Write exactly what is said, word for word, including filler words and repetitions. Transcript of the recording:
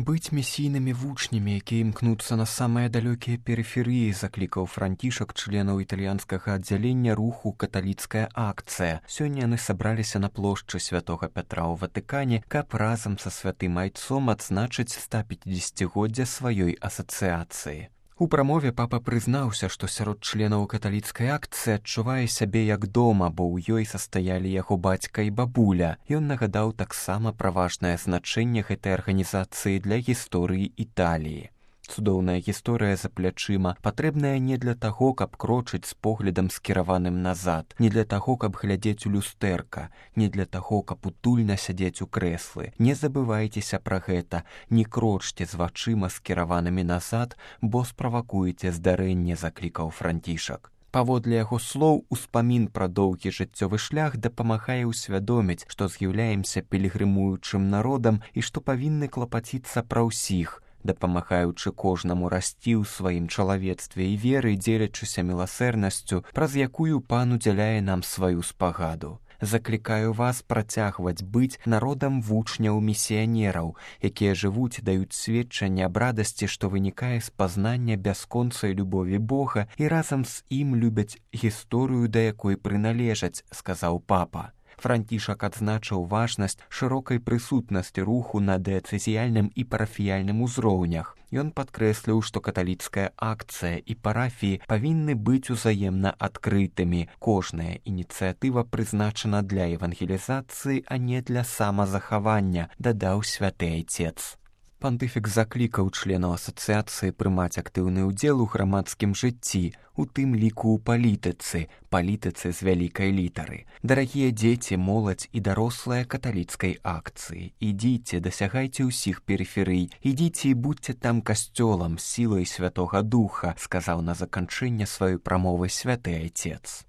Быць місійнымі вучнямі, якія імкнуцца на самыя далёкія перыферыі, заклікаў Францішак членаў італьянскага аддзялення руху «Каталіцкая акцыя». Сёння яны сабраліся на плошчы святога Пятра ў Ватыкане, каб разам са святым айцом адзначыць стапяцідзесяцігоддзе сваёй асацыяцыі. У прамове папа прызнаўся, што сярод членаў каталіцкай акцыі адчувае сябе як дома, бо ў ёй састаялі яго бацька і бабуля. Ён нагадаў таксама пра важнае значэнне гэтай арганізацыі для гісторыі Італіі. Цудоўная гісторыя за плячыма, патрэбная не для таго, каб крочыць з поглядам скіраваным назад, не для таго, каб глядзець у люстэрка, не для таго, каб утульна сядзець у крэслы. Не забывайцеся пра гэта, не крочце з вачыма скіраванымі назад, бо справакуеце здарэнне, заклікаў Францішак. Паводле яго слоў, успамін пра доўгі жыццёвы шлях дапамагае ўсвядоміць, што з'яўляемся пілігрымуючым народам і што павінны клапаціцца пра ўсіх, дапамагаючы кожнаму расці ў сваім чалавецтве і веры, дзелячыся міласэрнасцю, праз якую пан удзяляе нам сваю спагаду. Заклікаю вас працягваць быць народам вучняў-місіянераў, якія жывуць, даюць сведчанне аб радасці, што вынікае з пазнання бясконцай любові Бога і разам з ім любяць гісторыю, да якой прыналежаць, сказаў папа. Францішак адзначыў важнасць шырокай прысутнасці руху на дыяцэзіяльным і парафіяльным узроўнях. Ён падкрэсліў, што каталіцкая акцыя і парафіі павінны быць узаемна адкрытымі. Кожная ініцыятыва прызначана для евангелізацыі, а не для самазахавання, дадаў святы айцец. Пантыфік заклікаў членаў асацыяцыі прымаць актыўны ўдзел у грамадскім жыцці, у тым ліку ў палітыцы, палітыцы з вялікай літары. Дарагія дзеці, моладзь і дарослыя каталіцкай акцыі, ідзіце, дасягайце ўсіх перыферый, ідзіце і будьце там касцёлам, сілай Святога Духа, сказаў на заканчэнне сваёй прамовы святы айцец.